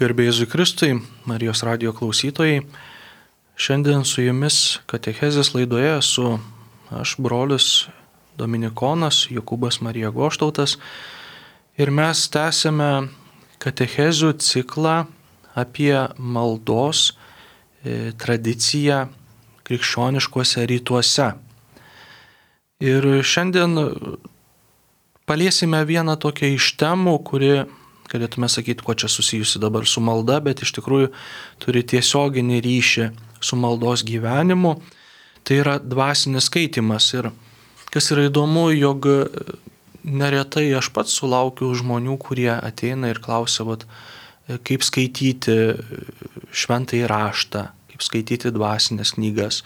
Garbė Jėzui Kristui, Marijos radijo klausytojai. Šiandien su jumis katechezės laidoje esu aš, brolis Dominikonas Jokūbas Marija Goštautas. Ir mes tęsiame katechezių ciklą apie maldos tradiciją krikščioniškuose rytuose. Ir šiandien paliesime vieną tokią iš temų, kuri, galėtume sakyti, kuo čia susijusi dabar su malda, bet iš tikrųjų turi tiesioginį ryšį su maldos gyvenimu. Tai yra dvasinis skaitymas. Ir kas yra įdomu, jog neretai aš pats sulaukiu žmonių, kurie ateina ir klausia, kaip skaityti šventąjį raštą, kaip skaityti dvasinės knygas,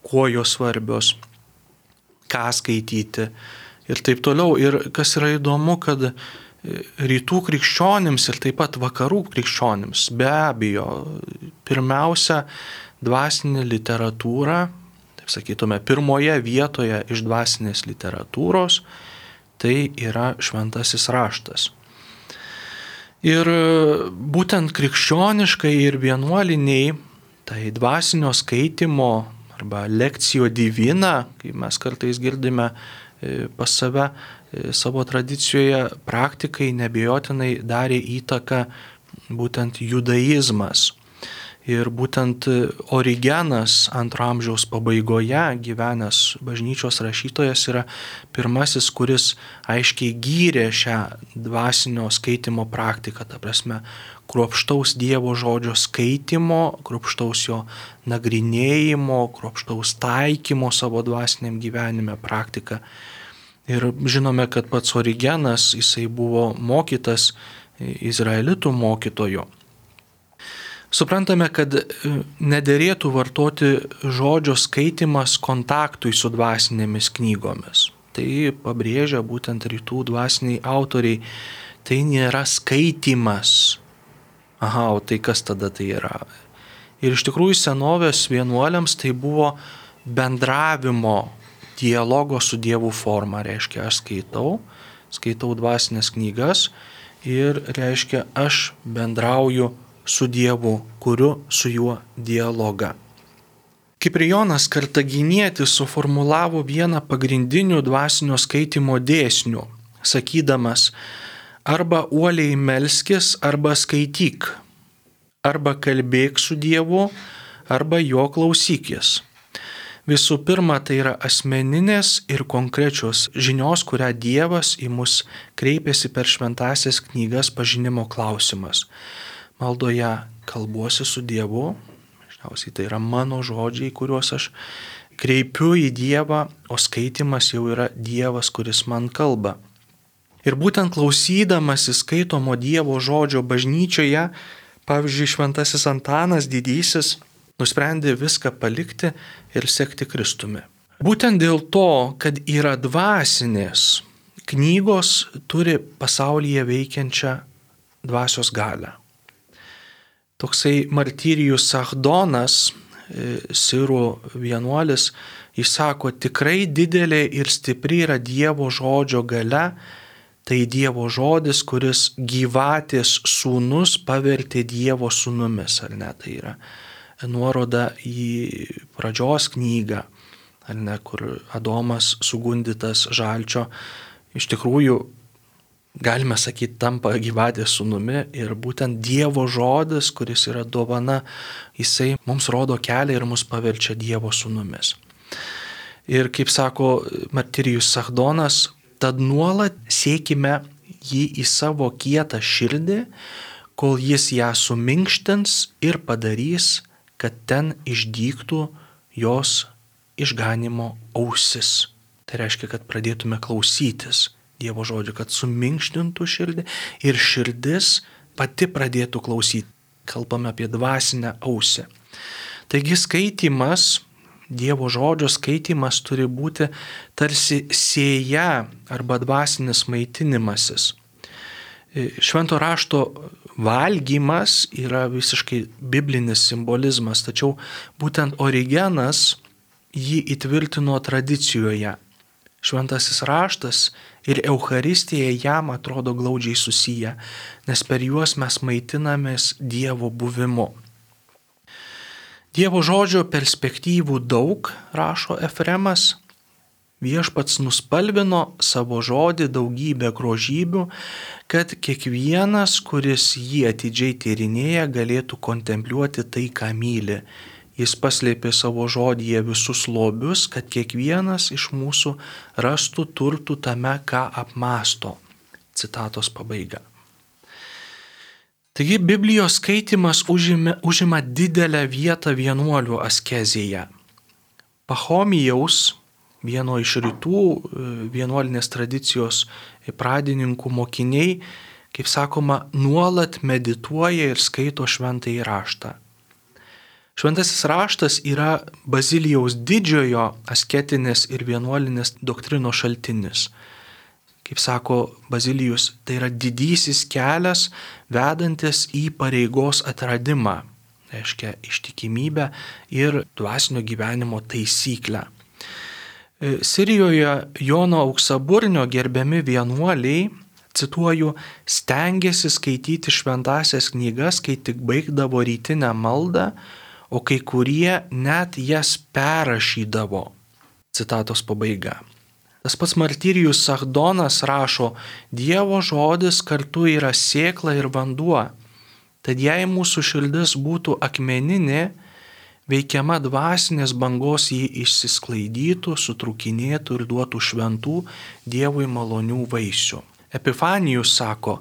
kuo jos svarbios, ką skaityti ir taip toliau. Ir kas yra įdomu, kad rytų krikščionims ir taip pat vakarų krikščionims be abejo pirmiausia dvasinė literatūra, taip sakytume, pirmoje vietoje iš dvasinės literatūros, tai yra šventasis raštas. Ir būtent krikščioniškai ir vienuoliniai, tai dvasinio skaitimo arba lekcijo divina, kaip mes kartais girdime pas save savo tradicijoje, praktikai neabejotinai darė įtaką būtent judaizmas. Ir būtent Origenas II amžiaus pabaigoje gyvenęs bažnyčios rašytojas yra pirmasis, kuris aiškiai gyrė šią dvasinio skaitimo praktiką, ta prasme, kruopštaus Dievo žodžio skaitimo, kruopštaus jo nagrinėjimo, kruopštaus taikymo savo dvasiniam gyvenime praktiką. Ir žinome, kad pats Origenas, jisai buvo mokytas izraelitų mokytojo. Suprantame, kad nederėtų vartoti žodžio skaitimas kontaktui su dvasinėmis knygomis. Tai pabrėžia būtent rytų dvasiniai autoriai. Tai nėra skaitimas. O tai kas tada tai yra? Ir iš tikrųjų senovės vienuoliams tai buvo bendravimo, dialogo su Dievu forma. Reiškia, aš skaitau dvasinės knygas ir reiškia, aš bendrauju su Dievu, kuriu su juo dialogą. Kiprijonas Kartaginietis suformulavo vieną pagrindinių dvasinio skaitimo dėsnių, sakydamas, arba uoliai melskis, arba skaityk, arba kalbėk su Dievu, arba jo klausykis. Visų pirma, tai yra asmeninės ir konkrečios žinios, kurią Dievas į mus kreipiasi per šventąsias knygas pažinimo klausimas. Maldoje kalbuosi su Dievu, dažniausiai tai yra mano žodžiai, kuriuos aš kreipiu į Dievą, o skaitimas jau yra Dievas, kuris man kalba. Ir būtent klausydamasi skaitomo Dievo žodžio bažnyčioje, pavyzdžiui, šventasis Antanas Didysis nusprendė viską palikti ir sekti Kristumi. Būtent dėl to, kad yra dvasinės, knygos turi pasaulyje veikiančią dvasios galią. Toksai Martyrijus Sachdonas, sirų vienuolis, jis sako, tikrai didelė ir stipri yra Dievo žodžio galia, tai Dievo žodis, kuris gyvatės sūnus pavertė Dievo sūnumis, ar ne, tai yra nuoroda į pradžios knygą, ar ne, kur Adomas sugundytas žalčio, iš tikrųjų, galime sakyti, tampa gyvatės sūnumi ir būtent Dievo žodis, kuris yra dovana, jisai mums rodo kelią ir mus paverčia Dievo sūnumis. Ir kaip sako Martyrijus Sachdonas, tad nuolat siekime jį į savo kietą širdį, kol jis ją suminkštins ir padarys, kad ten išdygtų jos išganimo ausis. Tai reiškia, kad pradėtume klausytis Dievo žodžio, kad suminkštintų širdį ir širdis pati pradėtų klausyti. Kalbame apie dvasinę ausį. Taigi skaitimas, Dievo žodžio skaitimas turi būti tarsi sėja arba dvasinis maitinimasis. Švento rašto valgymas yra visiškai biblinis simbolizmas, tačiau būtent Origenas jį įtvirtino tradicijoje. Šventasis raštas ir Eucharistija jam atrodo glaudžiai susiję, nes per juos mes maitinamės Dievo buvimu. Dievo žodžio perspektyvų daug, rašo Efremas. Viešpats nuspalvino savo žodį daugybę grožybių, kad kiekvienas, kuris jį atidžiai tyrinėja, galėtų kontempliuoti tai, ką myli. Jis paslėpė savo žodyje visus lobius, kad kiekvienas iš mūsų rastų turtų tame, ką apmąsto. Citatos pabaiga. Taigi Biblijos skaitimas užima didelę vietą vienuolių askezėje. Pachomijaus, vieno iš rytų vienuolinės tradicijos pradininkų mokiniai, kaip sakoma, nuolat medituoja ir skaito šventąjį raštą. Šventasis raštas yra Bazilijaus didžiojo asketinės ir vienuolinės doktrinos šaltinis. Kaip sako Bazilijus, tai yra didysis kelias vedantis į pareigos atradimą, reiškia ištikimybę ir dvasinio gyvenimo taisyklę. Sirijoje Jono Auksaburnio gerbiami vienuoliai, cituoju, stengėsi skaityti šventąsias knygas, kai tik baigdavo rytinę maldą, o kai kurie net jas perrašydavo. Citatos pabaiga. Tas pats martyrijus Sachdonas rašo, Dievo žodis kartu yra sėkla ir vanduo, tad jei mūsų širdis būtų akmeninė, veikiama dvasinės bangos jį išsisklaidytų, sutrūkinėtų ir duotų šventų Dievui malonių vaisių. Epifanijus sako,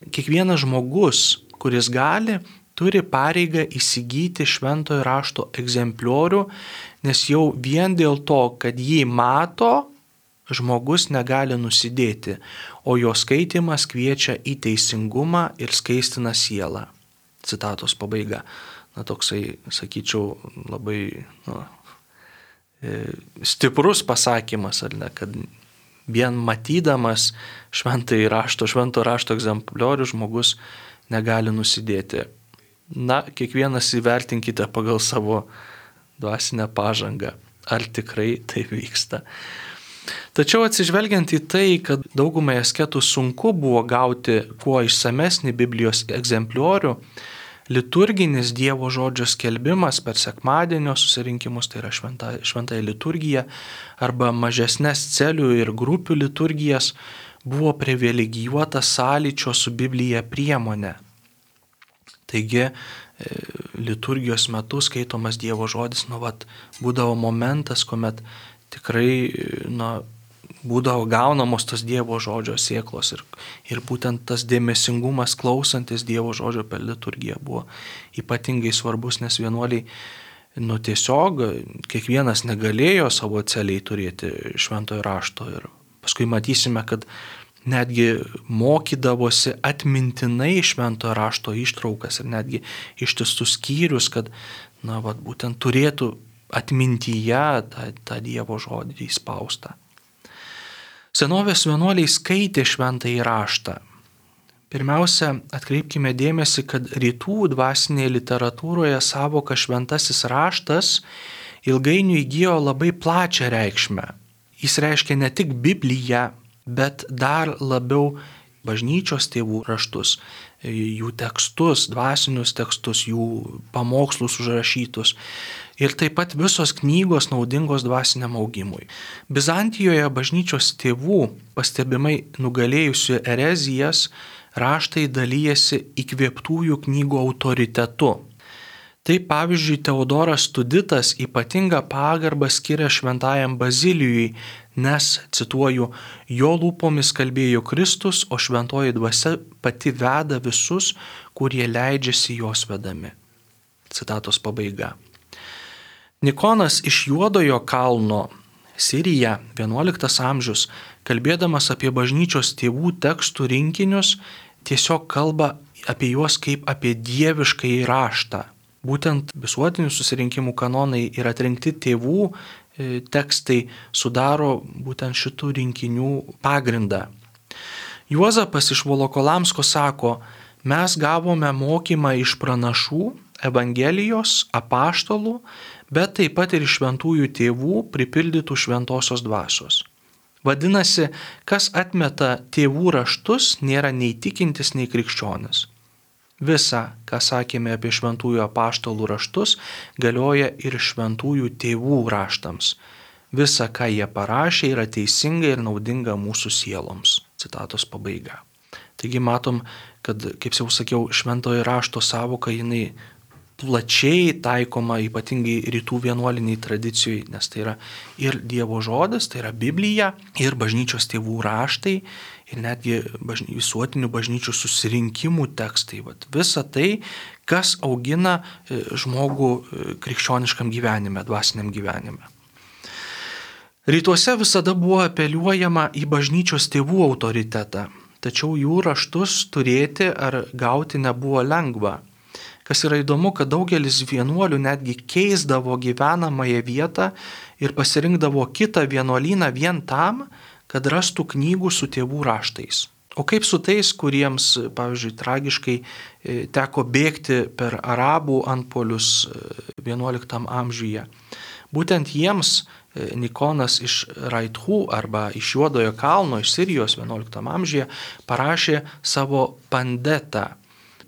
kiekvienas žmogus, kuris gali, turi pareigą įsigyti šventojo rašto egzempliorių, nes jau vien dėl to, kad jį mato, žmogus negali nusidėti, o jo skaitimas kviečia į teisingumą ir skaistina sielą. Citatos pabaiga. Toksai, sakyčiau, labai stiprus pasakymas, ar ne, kad vien matydamas švento rašto egzempliorių žmogus negali nusidėti. Kiekvienas įvertinkite pagal savo dvasinę pažangą, ar tikrai tai vyksta. Tačiau atsižvelgiant į tai, kad daugumai asketų sunku buvo gauti kuo išsamesnį Biblijos egzempliorių, liturginis Dievo žodžio skelbimas per sekmadienio susirinkimus, tai yra šventąją liturgiją, arba mažesnes celių ir grupių liturgijas, buvo privilegijuota sąlyčio su Biblija priemonė. Taigi, liturgijos metu skaitomas Dievo žodis, būdavo momentas, kuomet tikrai, būdavo gaunamos tos Dievo žodžio sėklos ir būtent tas dėmesingumas klausantis Dievo žodžio per liturgiją buvo ypatingai svarbus, nes vienuoliai, tiesiog kiekvienas negalėjo savo celiai turėti šventojo rašto ir paskui matysime, kad netgi mokydavosi atmintinai šventojo rašto ištraukas ir netgi ištistus skyrius, kad, būtent turėtų atmintyje tą Dievo žodį įspaustą. Senovės vienuoliai skaitė šventąjį raštą. Pirmiausia, atkreipkime dėmesį, kad rytų dvasinėje literatūroje savoka šventasis raštas ilgainiui įgijo labai plačią reikšmę. Jis reiškia ne tik Bibliją, bet dar labiau bažnyčios tėvų raštus, jų tekstus, dvasinius tekstus, jų pamokslus užrašytus ir taip pat visos knygos naudingos dvasiniam augimui. Bizantijoje bažnyčios tėvų pastebimai nugalėjusių erezijas raštai dalyjasi įkvėptųjų knygų autoritetu. Tai pavyzdžiui Teodoras Tuditas ypatingą pagarbą skiria šventajam Bazilijui, nes, cituoju, jo lūpomis kalbėjo Kristus, o šventoji dvasia pati veda visus, kurie leidžiasi jos vedami. Citatos pabaiga. Nikonas iš Juodojo kalno, Sirija, 11 amžius, kalbėdamas apie bažnyčios tėvų tekstų rinkinius, tiesiog kalba apie juos kaip apie dieviškąjį raštą. Būtent visuotinių susirinkimų kanonai ir atrinkti tėvų tekstai sudaro būtent šitų rinkinių pagrindą. Juozapas iš Volokolamsko sako, mes gavome mokymą iš pranašų, Evangelijos, apaštalų, bet taip pat ir iš šventųjų tėvų pripildytų šventosios dvasios. Vadinasi, kas atmeta tėvų raštus, nėra nei tikintis, nei krikščionis. Visa, ką sakėme apie šventųjų apaštalų raštus, galioja ir šventųjų tėvų raštams. Visa, ką jie parašė, yra teisinga ir naudinga mūsų sieloms. Citatos pabaiga. Taigi matom, kad, kaip jau sakiau, šventojo rašto savoka jinai plačiai taikoma ypatingai rytų vienuoliniai tradicijai, nes tai yra ir Dievo žodis, tai yra Biblija, ir bažnyčios tėvų raštai, ir netgi visuotinių bažnyčių susirinkimų tekstai. Visa tai, kas augina žmogų krikščioniškam gyvenime, dvasiniam gyvenime. Rytuose visada buvo apeliuojama į bažnyčios tėvų autoritetą, tačiau jų raštus turėti ar gauti nebuvo lengva. Kas yra įdomu, kad daugelis vienuolių netgi keisdavo gyvenamąją vietą ir pasirinkdavo kitą vienuolyną vien tam, kad rastų knygų su tėvų raštais. O kaip su tais, kuriems, pavyzdžiui, tragiškai teko bėgti per arabų antpuolius XI amžiuje? Būtent jiems Nikonas iš Raithų arba iš Juodojo kalno, iš Sirijos XI amžiuje parašė savo pandetą,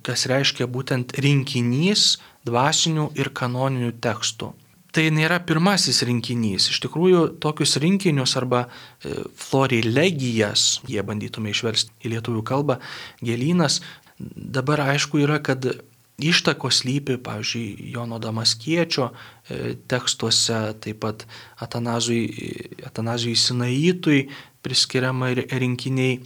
kas reiškia būtent rinkinys dvasinių ir kanoninių tekstų. Tai nėra pirmasis rinkinys. Iš tikrųjų, tokius rinkinius arba florilegijas, jie bandytume išversti į lietuvių kalbą, gėlynas, dabar aišku yra, kad ištakos slypi, pavyzdžiui, Jono Damaskiečio tekstuose, taip pat Atanazijui Sinaitui priskiriama rinkiniai.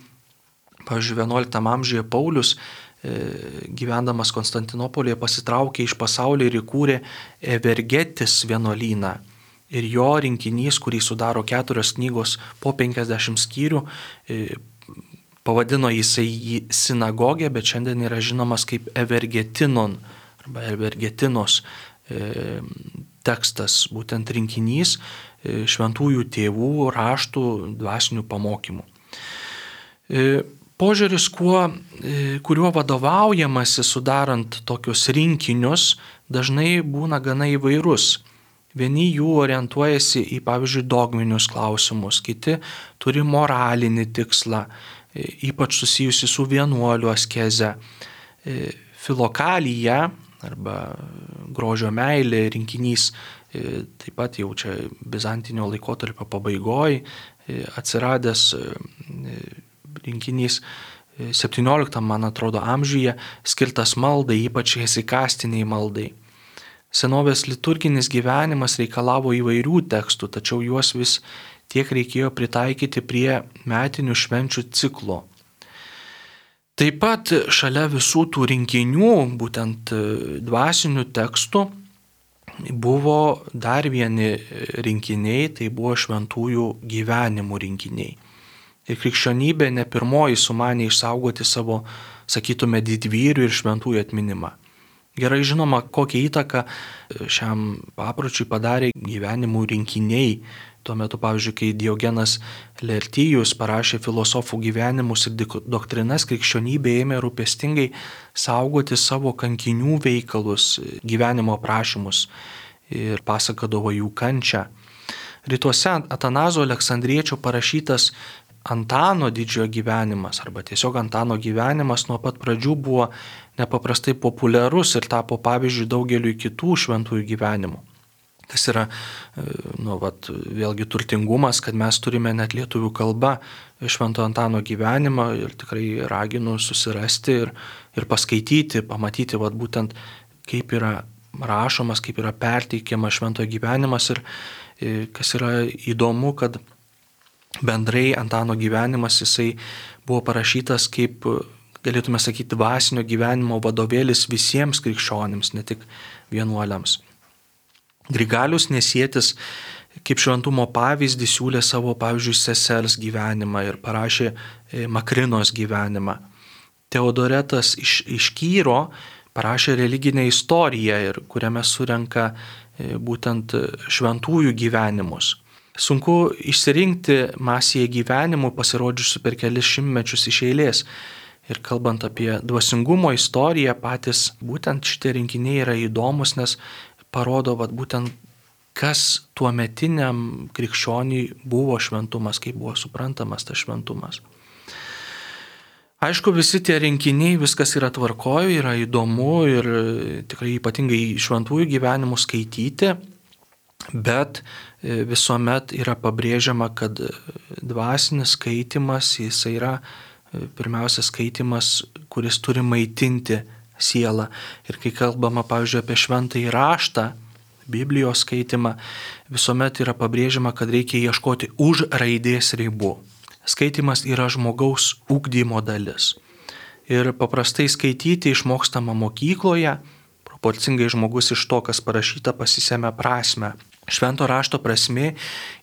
Pavyzdžiui, XI amžiuje Paulius, gyvendamas Konstantinopolyje, pasitraukė iš pasaulio ir įkūrė Evergetis vienuolyną. Ir jo rinkinys, kurį sudaro 4 knygos po 50 skyrių, pavadino jisai jį sinagogę, bet šiandien yra žinomas kaip Evergetinon arba Evergetinos tekstas, būtent rinkinys šventųjų tėvų raštų dvasinių pamokymų. Požiūris, kuriuo vadovaujamasi sudarant tokius rinkinius, dažnai būna gana įvairus. Vieni jų orientuojasi į, pavyzdžiui, dogminius klausimus, kiti turi moralinį tikslą, ypač susijusi su vienuolių askeze. Filokalija arba grožio meilė rinkinys, taip pat jau čia bizantinio laikotarpio pabaigoje atsiradęs rinkinys 17, man atrodo, amžiuje, skirtas maldai, ypač hesikastiniai maldai. Senovės liturginis gyvenimas reikalavo įvairių tekstų, tačiau juos vis tiek reikėjo pritaikyti prie metinių švenčių ciklo. Taip pat šalia visų tų rinkinių, būtent dvasinių tekstų, buvo dar vieni rinkiniai, tai buvo šventųjų gyvenimų rinkiniai. Ir krikščionybė ne pirmoji sumanė išsaugoti savo, sakytume, didvyrių ir šventųjų atminimą. Gerai žinoma, kokią įtaką šiam papročiui padarė gyvenimų rinkiniai. Tuo metu, pavyzdžiui, kai Diogenas Laertijus parašė filosofų gyvenimus ir doktrinas, krikščionybė ėmė rūpestingai saugoti savo kankinių veikalus, gyvenimo aprašymus ir pasakodavo jų kančią. Rytuose Atanazo Aleksandriečio parašytas Antano didžiojo gyvenimas arba tiesiog Antano gyvenimas nuo pat pradžių buvo nepaprastai populiarus ir tapo pavyzdžiui daugeliui kitų šventųjų gyvenimų. Tas yra, vėlgi turtingumas, kad mes turime net lietuvių kalba Švento Antano gyvenimą ir tikrai raginu susirasti ir paskaityti, pamatyti būtent kaip yra rašomas, kaip yra perteikiamas šventojo gyvenimas ir kas yra įdomu, kad bendrai Antano gyvenimas jisai buvo parašytas kaip, galėtume sakyti, dvasinio gyvenimo vadovėlis visiems krikščionims, ne tik vienuoliams. Grigalius Nesietis kaip šventumo pavyzdį siūlė savo, pavyzdžiui, sesers gyvenimą ir parašė Makrinos gyvenimą. Teodoretas iš Kyro parašė religinę istoriją, kuriame surenka būtent šventųjų gyvenimus. Sunku išsirinkti masėje gyvenimų pasirodžiusių per kelis šimtmečius iš eilės. Ir kalbant apie dvasingumo istoriją, patys būtent šitie rinkiniai yra įdomus, nes parodo būtent kas tuometiniam krikščioniui buvo šventumas, kaip buvo suprantamas tas šventumas. Aišku, visi tie rinkiniai, viskas yra tvarkoje, yra įdomu ir tikrai ypatingai šventųjų gyvenimų skaityti, bet visuomet yra pabrėžiama, kad dvasinis skaitimas, jis yra pirmiausia skaitimas, kuris turi maitinti sielą. Ir kai kalbama, pavyzdžiui, apie šventąjį raštą, Biblijos skaitimą, visuomet yra pabrėžiama, kad reikia ieškoti už raidės ribų. Skaitimas yra žmogaus ugdymo dalis. Ir paprastai skaityti išmokstama mokykloje, proporcingai žmogus iš to, kas parašyta, pasisemia prasmę. Švento rašto prasmė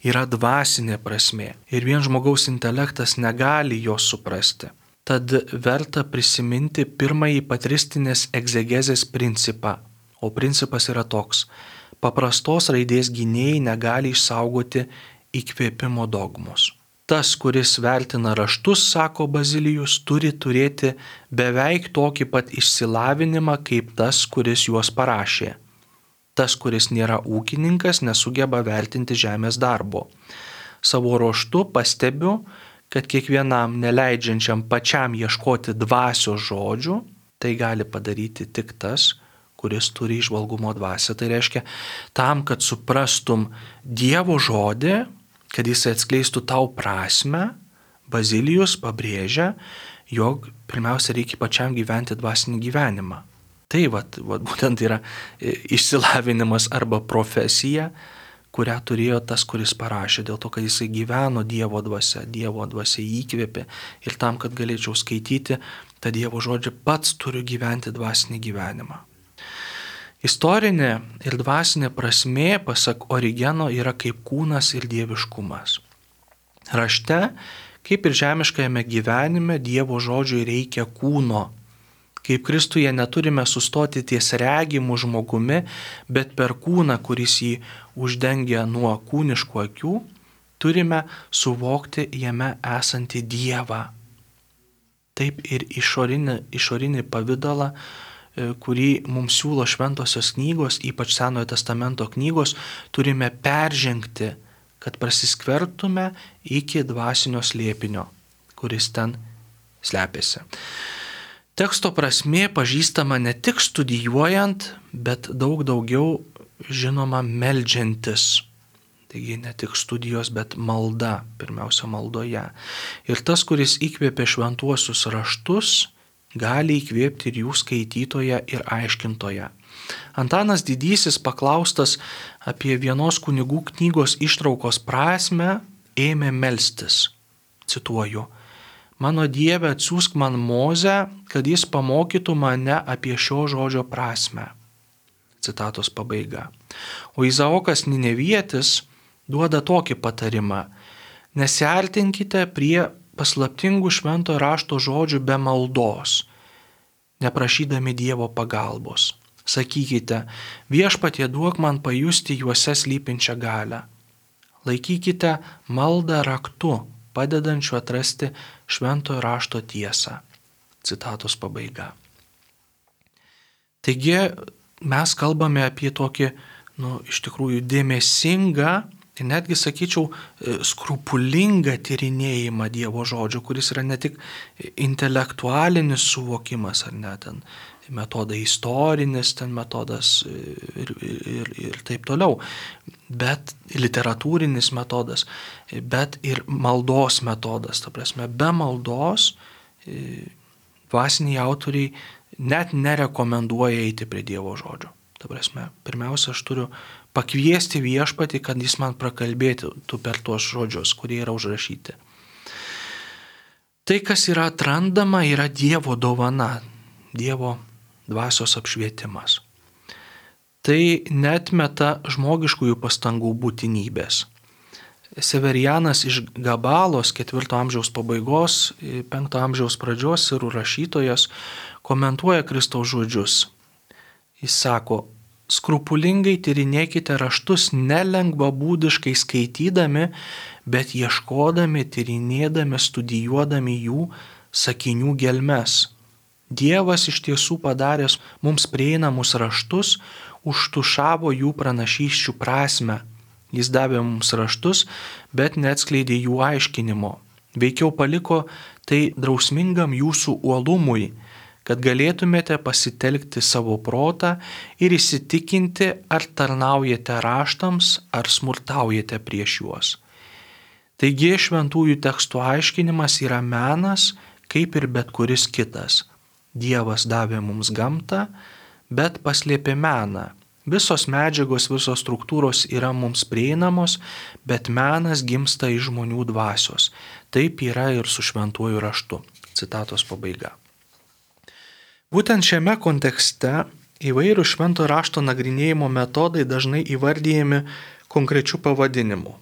yra dvasinė prasmė. Ir vien žmogaus intelektas negali jos suprasti. Tad verta prisiminti pirmąjį patristinės egzegezės principą. O principas yra toks. Paprastos raidės gynėjai negali išsaugoti įkvėpimo dogmos. Tas, kuris vertina raštus, sako Bazilijus, turi turėti beveik tokį pat išsilavinimą kaip tas, kuris juos parašė. Tas, kuris nėra ūkininkas, nesugeba vertinti žemės darbo. Savo ruožtu pastebiu, kad kiekvienam neleidžiančiam pačiam ieškoti dvasios žodžių, tai gali padaryti tik tas, kuris turi įžvalgumo dvasią. Tai reiškia, tam, kad suprastum Dievo žodį, kad jis atskleistų tau prasmę, Bazilijus pabrėžia, jog pirmiausia reikia pačiam gyventi dvasinį gyvenimą. Tai būtent yra išsilavinimas arba profesija, kurią turėjo tas, kuris parašė, dėl to, kad jisai gyveno Dievo dvasia įkvėpė ir tam, kad galėčiau skaityti tą Dievo žodžią, pats turiu gyventi dvasinį gyvenimą. Istorinė ir dvasinė prasmė, pasak Origeno, yra kaip kūnas ir dieviškumas. Rašte, kaip ir žemiškajame gyvenime, Dievo žodžiui reikia kūno. Kaip Kristuje neturime sustoti ties regimu žmogumi, bet per kūną, kuris jį uždengia nuo kūniškų akių, turime suvokti jame esantį Dievą. Taip ir išorinį pavydalą, kurį mums siūlo šventosios knygos, ypač Senojo testamento knygos, turime peržengti, kad prasiskvertume iki dvasinio slėpinio, kuris ten slepiasi. Teksto prasmė pažįstama ne tik studijuojant, bet daug daugiau žinoma meldžiantis. Taigi ne tik studijos, bet malda, pirmiausia maldoje. Ir tas, kuris įkvėpė šventuosius raštus, gali įkvėpti ir jų skaitytoją ir aiškintoją. Antanas Didysis, paklaustas apie vienos kunigų knygos ištraukos prasmę, ėmė melstis. Cituoju: Mano Dieve, atsiųsk man Mozę, kad jis pamokytų mane apie šio žodžio prasmę. Citatos pabaiga. O Izaokas Ninevietis duoda tokį patarimą: nesiartinkite prie paslaptingų šventojo rašto žodžių be maldos, neprašydami Dievo pagalbos. Sakykite: Viešpatie, duok man pajusti juose slypinčią galią. Laikykite maldą raktu, padedančiu atrasti šventojo rašto tiesą. Citatos pabaiga. Taigi mes kalbame apie tokį, iš tikrųjų dėmesingą ir netgi, sakyčiau, skrupulingą tyrinėjimą Dievo žodžio, kuris yra ne tik intelektualinis suvokimas, ar ne, ten metodai istorinis, ten metodas ir taip toliau, bet literatūrinis metodas, bet ir maldos metodas. Ta prasme, be maldos dvasiniai autoriai net nerekomenduoja eiti prie Dievo žodžio. Ta prasme, pirmiausia, aš turiu pakviesti Viešpatį, kad jis man prakalbėtų per tuos žodžius, kurie yra užrašyti. Tai, kas yra atrandama, yra Dievo dovana, Dievo dvasios apšvietimas. Tai neatmeta žmogiškųjų pastangų būtinybės. Severianas iš Gabalos 4 amžiaus pabaigos, 5 amžiaus pradžios sirų rašytojas komentuoja Kristaus žodžius. Jis sako: skrupulingai tyrinėkite raštus nelengvabūdiškai skaitydami, bet ieškodami, tyrinėdami, studijuodami jų sakinių gelmes. Dievas iš tiesų padaręs mums prieinamus raštus, užtušavo jų pranašysčių prasme. Jis davė mums raštus, bet neatskleidė jų aiškinimo. Veikiau paliko tai drausmingam jūsų uolumui, kad galėtumėte pasitelkti savo protą ir įsitikinti, ar tarnaujate raštams, ar smurtaujate prieš juos. Taigi šventųjų tekstų aiškinimas yra menas, kaip ir bet kuris kitas. Dievas davė mums gamtą, bet paslėpė meną. Visos medžiagos, visos struktūros yra mums prieinamos, bet menas gimsta iš žmonių dvasios. Taip yra ir su šventuoju raštu. Citatos pabaiga. Būtent šiame kontekste įvairių šventojo rašto nagrinėjimo metodai dažnai įvardyjami konkrečių pavadinimų.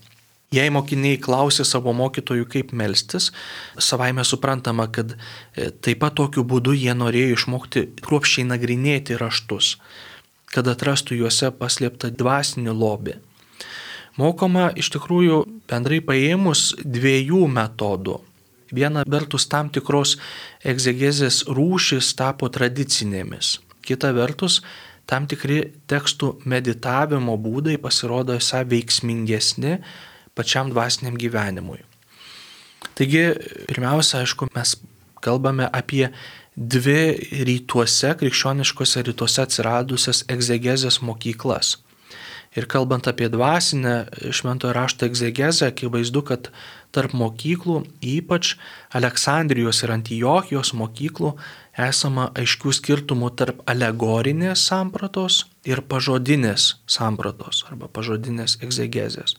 Jei mokiniai klausė savo mokytojų, kaip melstis, savaime suprantama, kad taip pat tokiu būdu jie norėjo išmokti kruopščiai nagrinėti raštus, kad atrastų juose paslėptą dvasinį lobį. Mokoma iš tikrųjų bendrai paėmus dviejų metodų. Viena vertus tam tikros egzegezės rūšis tapo tradicinėmis. Kita vertus tam tikri tekstų meditavimo būdai pasirodo esą veiksmingesni pačiam dvasiniam gyvenimui. Taigi, pirmiausia, aišku, mes kalbame apie dvi rytuose, krikščioniškose rytuose atsiradusias egzegezės mokyklas. Ir kalbant apie dvasinę šventojo rašto egzegezę, akivaizdu, kad tarp mokyklų, ypač Aleksandrijos ir Antiochijos mokyklų, esama aiškių skirtumų tarp alegorinės sampratos ir pažodinės sampratos arba pažodinės egzegezės.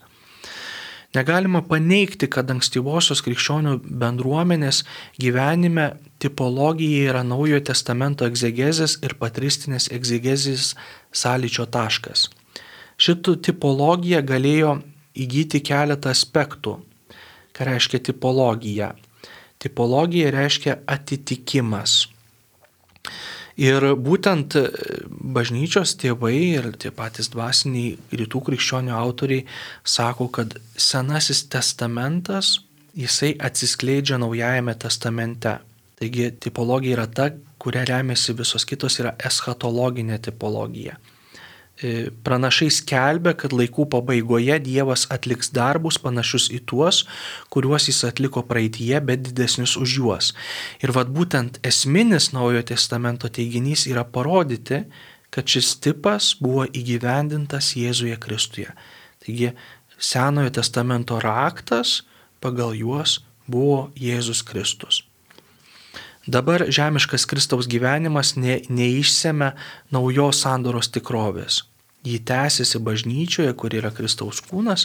Negalima paneigti, kad ankstyvosios krikščionių bendruomenės gyvenime tipologija yra Naujojo testamento egzegezės ir patristinės egzegezės sąlyčio taškas. Šitų tipologija galėjo įgyti keletą aspektų. Ką reiškia tipologija? Tipologija reiškia atitikimas. Ir būtent bažnyčios tėvai ir tie patys dvasiniai rytų krikščionių autoriai sako, kad Senasis testamentas, jisai atsiskleidžia Naujajame testamente. Taigi tipologija yra ta, kuria remiasi visos kitos, yra eschatologinė tipologija. Pranašai skelbia, kad laikų pabaigoje Dievas atliks darbus panašius į tuos, kuriuos jis atliko praeityje, bet didesnius už juos. Ir būtent esminis Naujojo testamento teiginys yra parodyti, kad šis tipas buvo įgyvendintas Jėzuje Kristuje. Taigi Senojo testamento raktas pagal juos buvo Jėzus Kristus. Dabar žemiškas Kristaus gyvenimas neišsemia naujos sandoros tikrovės. Ji tęsiasi bažnyčioje, kuri yra Kristaus kūnas,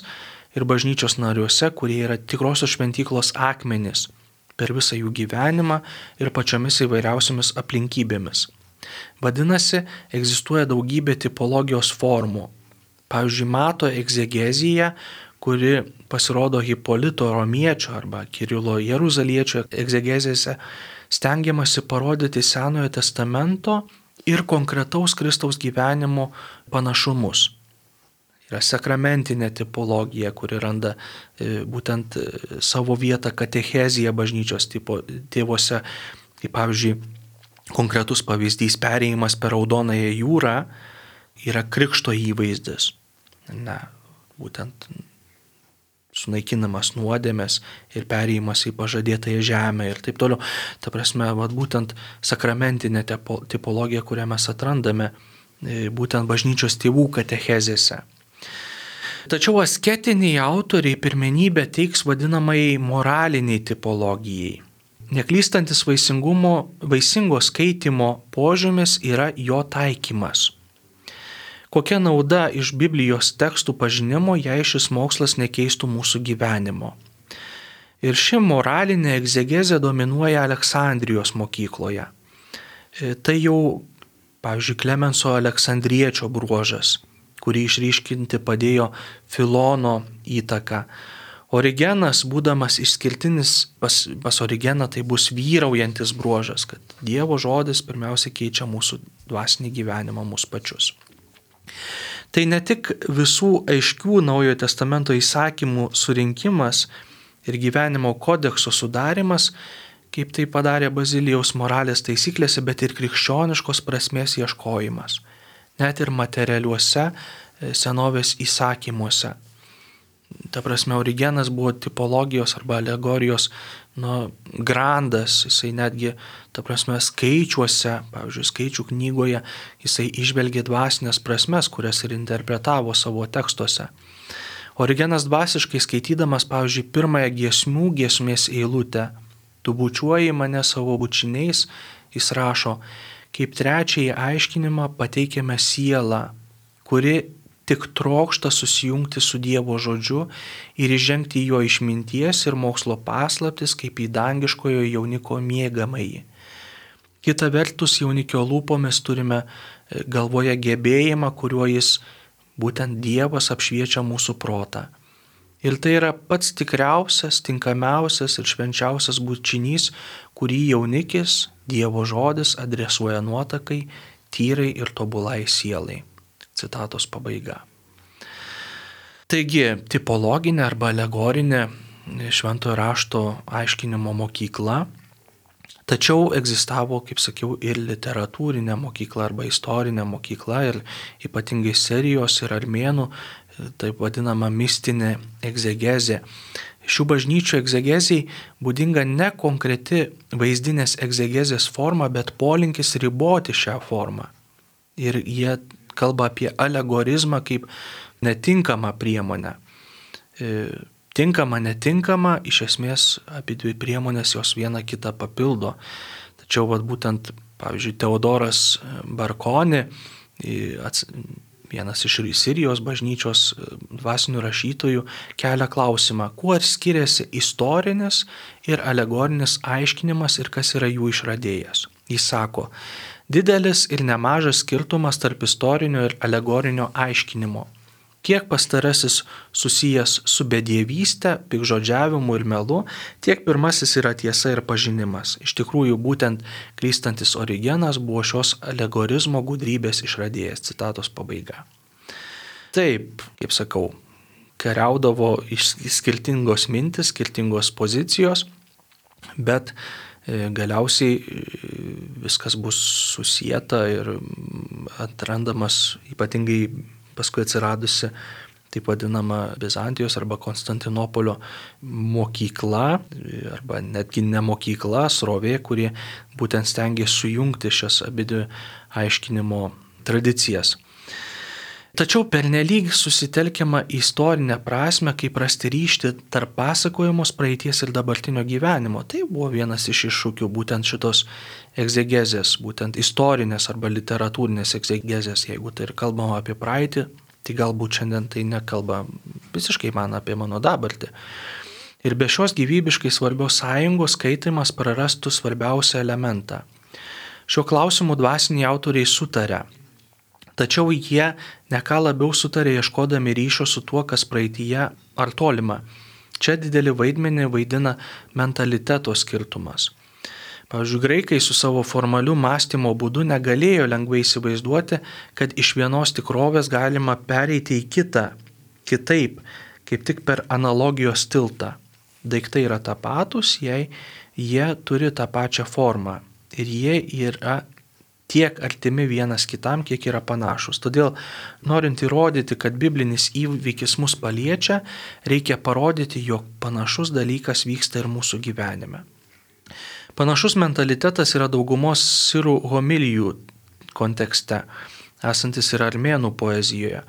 ir bažnyčios nariuose, kurie yra tikrosios šventyklos akmenys per visą jų gyvenimą ir pačiomis įvairiausiamis aplinkybėmis. Vadinasi, egzistuoja daugybė tipologijos formų. Pavyzdžiui, Mato egzegezija, kuri pasirodo Hipolito Romiečio arba Kirilo Jeruzaliečio egzegezėse, stengiamasi parodyti Senojo testamento ir konkretaus Kristaus gyvenimo panašumus. Yra sakramentinė tipologija, kuri randa būtent savo vietą katechezija bažnyčios tėvuose. Kaip pavyzdžiui, konkretus pavyzdys perėjimas per Raudonąją jūrą yra krikšto įvaizdis. Būtent sunaikinamas nuodėmės ir perėjimas į pažadėtąją žemę ir taip toliau. Ta prasme, būtent sakramentinė tipologija, kurią mes atrandame būtent bažnyčios tėvų katechezėse. Tačiau asketiniai autoriai pirmenybę teiks vadinamai moraliniai tipologijai. Neklystantis vaisingo skaitimo požymis yra jo taikymas. Kokia nauda iš Biblijos tekstų pažinimo, jei šis mokslas nekeistų mūsų gyvenimo? Ir ši moralinė egzegezė dominuoja Aleksandrijos mokykloje. Tai jau, pavyzdžiui, Klemenso Aleksandriečio bruožas, kurį išryškinti padėjo Filono įtaka. Origenas, būdamas išskirtinis pas Origeną, tai bus vyraujantis bruožas, kad Dievo žodis pirmiausia keičia mūsų dvasinį gyvenimą, mūsų pačius. Tai ne tik visų aiškių Naujojo testamento įsakymų surinkimas ir gyvenimo kodekso sudarimas, kaip tai padarė Bazilijaus moralės taisyklėse, bet ir krikščioniškos prasmės ieškojimas, net ir materialiuose senovės įsakymuose. Ta prasme, Origenas buvo tipologijos arba alegorijos grandas, jisai netgi, ta prasme, skaičiuose, pavyzdžiui, skaičių knygoje, jisai išvelgė dvasinės prasmes, kurias ir interpretavo savo tekstuose. Origenas dvasiškai skaitydamas, pavyzdžiui, pirmąją giesmės eilutę, tu bučiuoji mane savo bučiniais, jis rašo, kaip trečiąjį aiškinimą pateikiame sielą, kuri tik trokšta susijungti su Dievo žodžiu ir įžengti į jo išminties ir mokslo paslaptis kaip į dangiškojo jauniko mėgamąjį. Kita vertus, jaunikio lūpomis turime galvoje gebėjimą, kuriuo jis, būtent Dievas, apšviečia mūsų protą. Ir tai yra pats tikriausias, tinkamiausias ir švenčiausias bučinys, kurį jaunikis, Dievo žodis, adresuoja nuotakai, tyrai ir tobulai sielai. Citatos pabaiga. Taigi, tipologinė arba alegorinė šventojo rašto aiškinimo mokykla, tačiau egzistavo, kaip sakiau, ir literatūrinė mokykla arba istorinė mokykla ir ypatingai Sirijos ir armėnų, taip vadinama mistinė egzegezė. Šių bažnyčių egzegezijai būdinga ne konkreti vaizdinės egzegezės forma, bet polinkis riboti šią formą. Ir jie kalba apie alegorizmą kaip netinkamą priemonę. Tinkama, netinkama, iš esmės apie dvi priemonės jos viena kitą papildo. Tačiau būtent, pavyzdžiui, Teodoras Barkoni, vienas iš Sirijos bažnyčios dvasinių rašytojų, kelia klausimą, kuo skiriasi istorinis ir alegorinis aiškinimas ir kas yra jų išradėjas. Jis sako, didelis ir nemažas skirtumas tarp istorinio ir alegorinio aiškinimo. Kiek pastarasis susijęs su bedievyste, piktžodžiavimu ir melu, tiek pirmasis yra tiesa ir pažinimas. Iš tikrųjų, būtent klystantis Origenas buvo šios alegorizmo gudrybės išradėjas. Citatos pabaiga. Taip, kaip sakau, kariaudavo skirtingos mintis, skirtingos pozicijos, bet galiausiai viskas bus susieta ir atrandamas ypatingai paskui atsiradusi taip vadinama Bizantijos arba Konstantinopolio mokykla, arba netgi ne mokykla, srovė, kurie būtent stengė sujungti šias abidvi aiškinimo tradicijas. Tačiau pernelyg susitelkiama į istorinę prasme, kaip rasti ryšį tarp pasakojamos praeities ir dabartinio gyvenimo. Tai buvo vienas iš iššūkių būtent šitos egzegezės, būtent istorinės arba literatūrinės egzegezės. Jeigu tai ir kalbama apie praeitį, tai galbūt šiandien tai nekalba visiškai man apie mano dabartį. Ir be šios gyvybiškai svarbios sąjungos skaitimas prarastų svarbiausią elementą. Šiuo klausimu dvasiniai autoriai sutarė. Tačiau jie ne ką labiau sutarė ieškodami ryšio su tuo, kas praeityje ar tolima. Čia didelį vaidmenį vaidina mentaliteto skirtumas. Pavyzdžiui, graikai su savo formaliu mąstymo būdu negalėjo lengvai įsivaizduoti, kad iš vienos tikrovės galima pereiti į kitą, kitaip, kaip tik per analogijos tiltą. Daiktai yra tapatus, jei jie turi tą pačią formą ir jie yra tiek artimi vienas kitam, kiek yra panašus. Todėl, norint įrodyti, kad biblinis įvykis mus paliečia, reikia parodyti, jog panašus dalykas vyksta ir mūsų gyvenime. Panašus mentalitetas yra daugumos sirų homilijų kontekste, esantis ir armėnų poezijoje.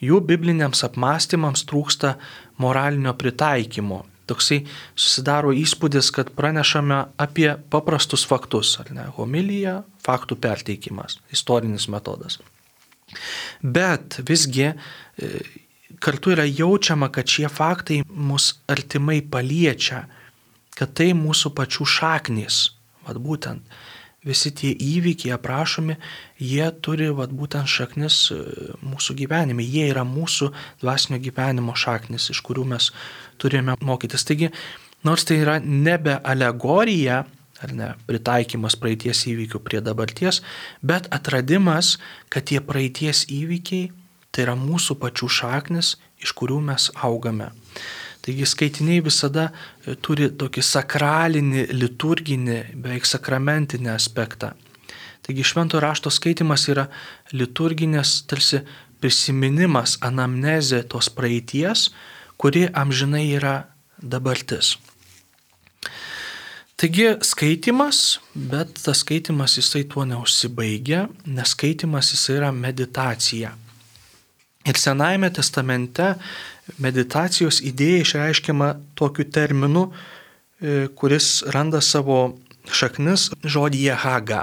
Jų bibliniams apmąstymams trūksta moralinio pritaikymo. Toksai susidaro įspūdis, kad pranešame apie paprastus faktus, ar ne? Homilija, faktų perteikimas, istorinis metodas. Bet visgi kartu yra jaučiama, kad šie faktai mus artimai paliečia, kad tai mūsų pačių šaknys. Būtent visi tie įvykiai aprašomi, jie turi būtent šaknis mūsų gyvenime. Jie yra mūsų dvasinio gyvenimo šaknis, iš kurių mes turime mokytis. Taigi, nors tai yra nebe alegorija, ar ne, pritaikymas praeities įvykių prie dabarties, bet atradimas, kad tie praeities įvykiai tai yra mūsų pačių šaknis, iš kurių mes augame. Taigi skaitiniai visada turi tokį sakralinį, liturginį, beveik sakramentinį aspektą. Taigi švento rašto skaitimas yra liturginės tarsi prisiminimas, anamnezė tos praeities, kuri amžinai yra dabartis. Taigi skaitimas, bet tas skaitimas jisai tuo neužsibaigia, nes skaitimas jisai yra meditacija. Ir Senajame testamente meditacijos idėja išreiškiama tokiu terminu, kuris randa savo šaknis žodyje haga,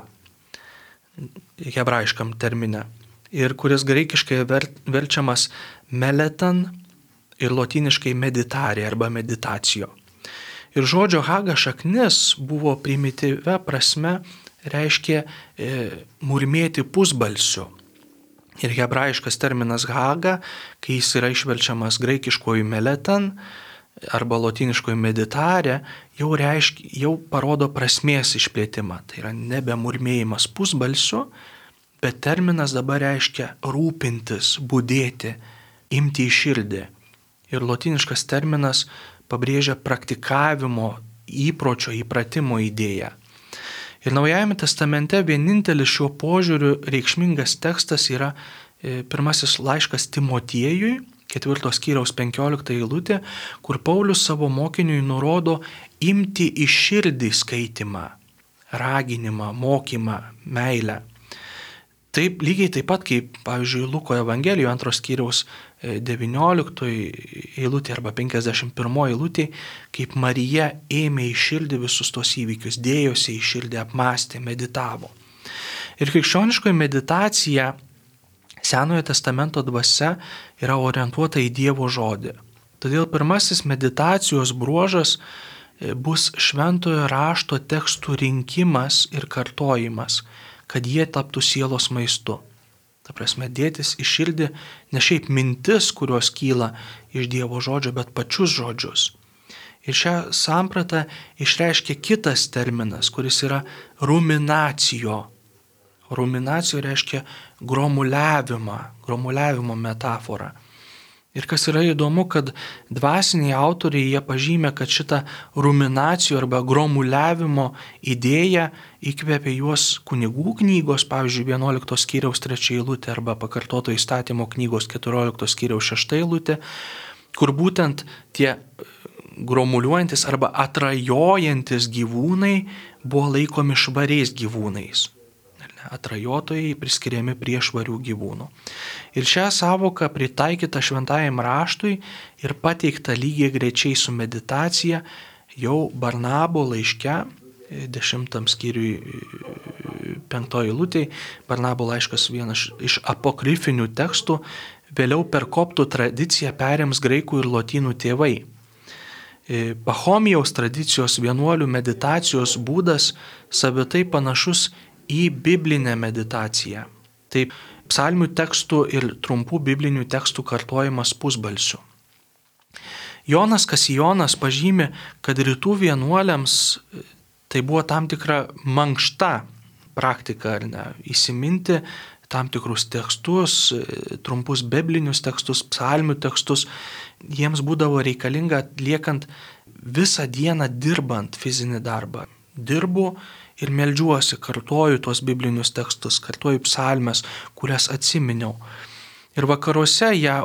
hebrajiškam termine, ir kuris graikiškai verčiamas meletan ir lotyniškai meditare arba meditacijo. Ir žodžio haga šaknis buvo primityvia prasme reiškia murmėti pusbalsiu. Ir hebrajiškas terminas haga, kai jis yra išverčiamas graikiškoju meletan arba lotyniškoju meditare, jau parodo prasmės išplėtimą. Tai yra nebe murmėjimas pusbalsiu, bet terminas dabar reiškia rūpintis, budėti, imti į širdį. Ir lotyniškas terminas pabrėžia praktikavimo, įpročio, įpratimo idėją. Ir Naujajame testamente vienintelis šiuo požiūriu reikšmingas tekstas yra pirmasis laiškas Timotiejui, 4 skyriaus 15 eilutė, kur Paulius savo mokiniui nurodo imti į širdį skaitimą, raginimą, mokymą, meilę. Taip, lygiai taip pat kaip, pavyzdžiui, Luko Evangelijoje 2 skyriaus 19 eilutė arba 51 eilutė, kaip Marija ėmė į širdį visus tos įvykius, dėjosi į širdį, apmąstė, meditavo. Ir krikščioniškoji meditacija Senojo testamento dvasia yra orientuota į Dievo žodį. Todėl pirmasis meditacijos bruožas bus šventojo rašto tekstų rinkimas ir kartojimas, kad jie taptų sielos maistu. Ta prasme, dėtis į širdį ne šiaip mintis, kurios kyla iš Dievo žodžio, bet pačius žodžius. Ir šią sampratą išreiškia kitas terminas, kuris yra ruminacijo. Ruminacijo reiškia gromuliavimo metaforą. Ir kas yra įdomu, kad dvasiniai autoriai jie pažymė, kad šitą ruminacijų arba gromuliavimo idėją įkvėpė juos kunigų knygos, pavyzdžiui, 11 skyriaus 3 eilutė arba pakartoto įstatymo knygos 14 skyriaus 6 eilutė, kur būtent tie gromuliuojantis arba atrajojantis gyvūnai buvo laikomi švariais gyvūnais. Atrajotojai priskiriami prie švarių gyvūnų. Ir šią savoką pritaikytą šventajam raštui ir pateikta lygiai greičiai su meditacija jau Barnabo laiške, 10 skyriui 5 eilutėj, Barnabo laiškas vienas iš apokrifinių tekstų, vėliau per koptų tradiciją perims graikų ir lotynų tėvai. Pachomijaus tradicijos vienuolių meditacijos būdas savitai panašus į biblinę meditaciją. Tai psalmių tekstų ir trumpų biblinių tekstų kartojimas pusbalsiu. Jonas Kasijonas pažymi, kad rytų vienuoliams tai buvo tam tikra mankšta praktika, ar ne, įsiminti tam tikrus tekstus, trumpus biblinius tekstus, psalmių tekstus. Jiems būdavo reikalinga atliekant visą dieną dirbant fizinį darbą. Dirbu ir meldžiuosi, kartoju tuos biblinius tekstus, kartoju psalmes, kurias atsiminiau. Ir vakaruose ją,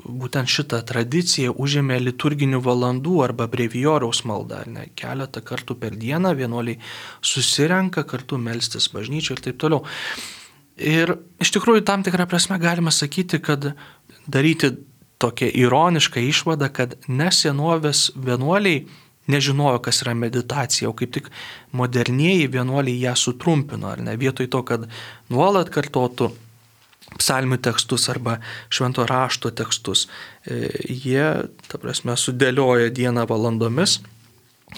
būtent šitą tradiciją užėmė liturginių valandų arba brevijoriaus malda. Ne, keletą kartų per dieną vienuoliai susirenka kartu melstis bažnyčioje ir taip toliau. Ir iš tikrųjų tam tikrą prasme galima sakyti, kad daryti tokią ironišką išvadą, kad nesenovės vienuoliai nežinojo, kas yra meditacija, o kaip tik modernieji vienuoliai ją sutrumpino, ar ne, vietoj to, kad nuolat kartotų psalmių tekstus arba švento rašto tekstus, jie, ta prasme, sudėlioja dieną valandomis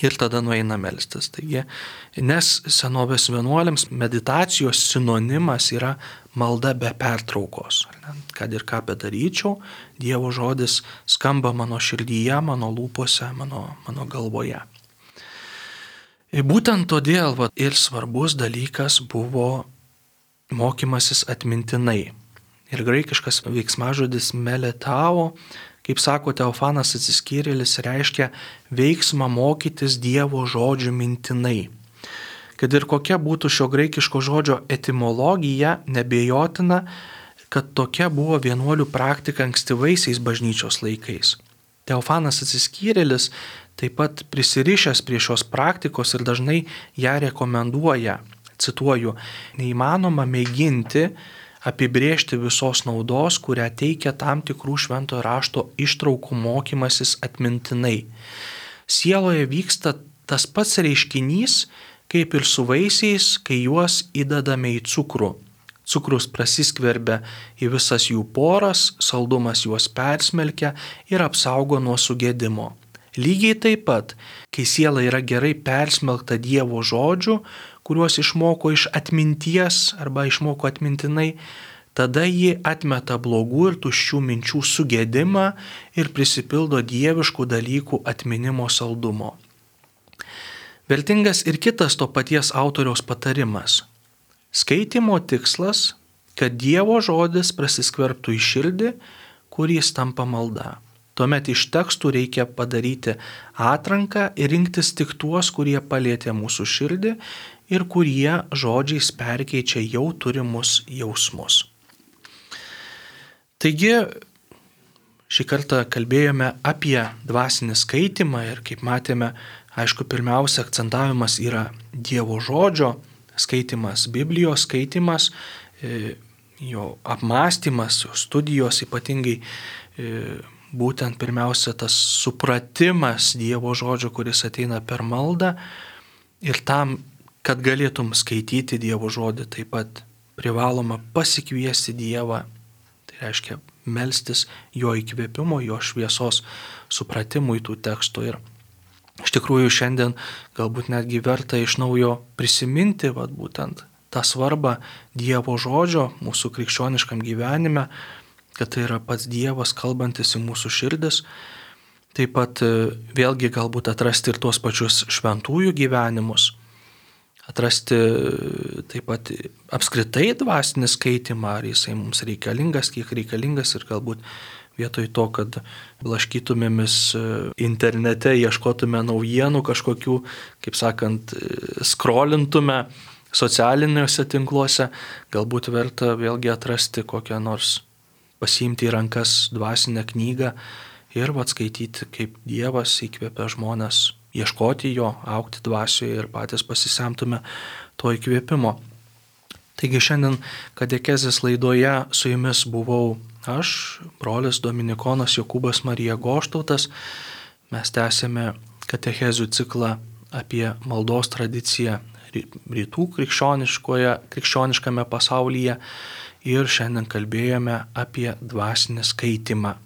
ir tada nueina melstis. Taigi, nes senovės vienuoliams meditacijos sinonimas yra malda be pertraukos. Kad ir ką bedaryčiau, Dievo žodis skamba mano širdyje, mano lūpose, mano galvoje. Ir būtent todėl ir svarbus dalykas buvo mokymasis atmintinai. Ir graikiškas veiksmažodis meletao, Kaip sako Teofanas Atsiskyrėlis, reiškia veiksmą mokytis Dievo žodžių mintinai. Kad ir kokia būtų šio graikiško žodžio etimologija, nebejotina, kad tokia buvo vienuolių praktika ankstyvaisiais bažnyčios laikais. Teofanas Atsiskyrėlis taip pat prisirišęs prie šios praktikos ir dažnai ją rekomenduoja. Cituoju, neįmanoma mėginti apibrėžti visos naudos, kurią teikia tam tikrų šventojo rašto ištraukų mokymasis atmintinai. Sieloje vyksta tas pats reiškinys, kaip ir su vaisiais, kai juos įdedame į cukrų. Cukrus prasiskverbia į visas jų poras, saldumas juos persmelkia ir apsaugo nuo sugėdimo. Lygiai taip pat, kai siela yra gerai persmelkta Dievo žodžių, kuriuos išmoko iš atminties arba išmoko atmintinai, tada ji atmeta blogų ir tuščių minčių sugėdimą ir prisipildo dieviškų dalykų atminimo saldumo. Vertingas ir kitas to paties autoriaus patarimas. Skaitimo tikslas, kad Dievo žodis prasiskverbtų į širdį, kur jis tampa malda. Tuomet iš tekstų reikia padaryti atranką ir rinktis tik tuos, kurie palietė mūsų širdį ir kurie žodžiais perkeičia jau turimus jausmus. Taigi, šį kartą kalbėjome apie dvasinį skaitimą ir kaip matėme, aišku, pirmiausia akcentavimas yra Dievo žodžio skaitimas, Biblijos skaitimas, jo apmąstymas, jo studijos ypatingai būtent pirmiausia tas supratimas Dievo žodžio, kuris ateina per maldą ir tam, kad galėtum skaityti Dievo žodį, taip pat privaloma pasikviesti Dievą, tai reiškia melstis jo įkvėpimo, jo šviesos supratimui tų tekstų. Ir iš tikrųjų šiandien galbūt netgi verta iš naujo prisiminti būtent tą svarbą Dievo žodžio mūsų krikščioniškam gyvenime, kad tai yra pats Dievas kalbantis į mūsų širdis. Taip pat vėlgi galbūt atrasti ir tuos pačius šventųjų gyvenimus, atrasti taip pat apskritai dvasinį skaitimą, ar jisai mums reikalingas, kiek reikalingas ir galbūt vietoj to, kad blaškytumėmis internete, ieškotume naujienų kažkokių, kaip sakant, skrolintume socialiniuose tinkluose, galbūt verta vėlgi atrasti kokią nors pasiimti į rankas dvasinę knygą ir skaityti, kaip Dievas įkvėpia žmones ieškoti jo, augti dvasioje ir patys pasisemtume to įkvėpimo. Taigi šiandien katekezės laidoje su jumis buvau aš, brolis Dominikonas Jokūbas Marija Goštautas. Mes tęsėme katechezių ciklą apie maldos tradiciją rytų krikščioniškame pasaulyje ir šiandien kalbėjome apie dvasinį skaitimą.